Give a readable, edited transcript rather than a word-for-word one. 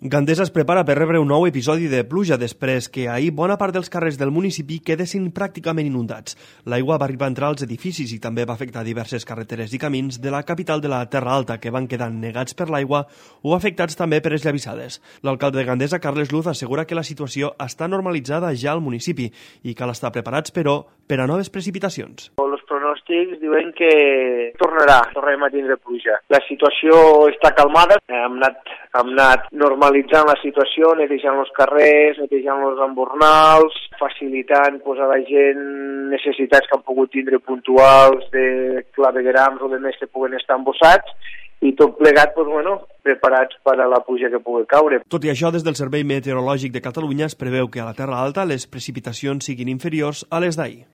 Gandesa es prepara per rebre un nou episodi de pluja després que ahir bona part dels carrers del municipi quedessin pràcticament inundats. L'aigua va arribar a entrar als edificis i també va afectar diverses carreteres i camins de la capital de la Terra Alta que van quedar negats per l'aigua o afectats també per esllavissades. L'alcalde de Gandesa, Carles Luz, assegura que la situació està normalitzada ja al municipi i cal estar preparats, però, per a noves precipitacions. Els pronòstics diuen que tornarem a tindre pluja. La situació està calmada, hem anat normalitzant la situació, netejant els carrers, netejant els embornals, facilitant a la gent necessitats que han pogut tindre puntuals de claveguerams o de més que puguen estar embossats, i tot plegat, preparats per a la pluja que pugui caure. Tot i això, des del Servei Meteorològic de Catalunya es preveu que a la Terra Alta les precipitacions siguin inferiors a les d'ahir.